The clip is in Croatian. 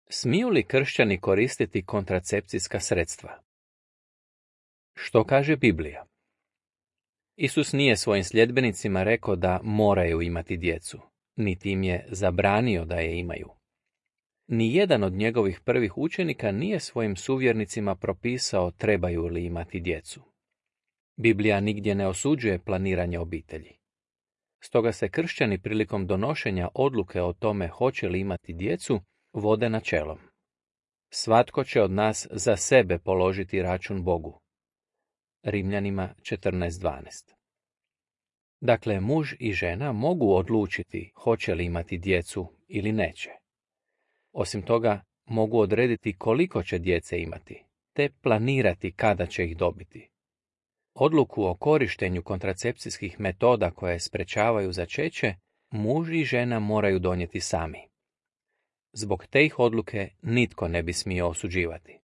Smiju li kršćani koristiti kontracepcijska sredstva? Što kaže Biblija? Isus nije svojim sljedbenicima rekao da moraju imati djecu, niti im je zabranio da je imaju. Nijedan od njegovih prvih učenika nije svojim suvjernicima propisao trebaju li imati djecu. Biblija nigdje ne osuđuje planiranje obitelji. Stoga se kršćani prilikom donošenja odluke o tome hoće li imati djecu vode načelom. Svatko će od nas za sebe položiti račun Bogu. Rimljanima 14:12. Dakle, muž i žena mogu odlučiti hoće li imati djecu ili neće. Osim toga, mogu odrediti koliko će djece imati, te planirati kada će ih dobiti. Odluku o korištenju kontracepcijskih metoda koje sprečavaju začeće, muž i žena moraju donijeti sami. Zbog te ih odluke nitko ne bi smio osuđivati.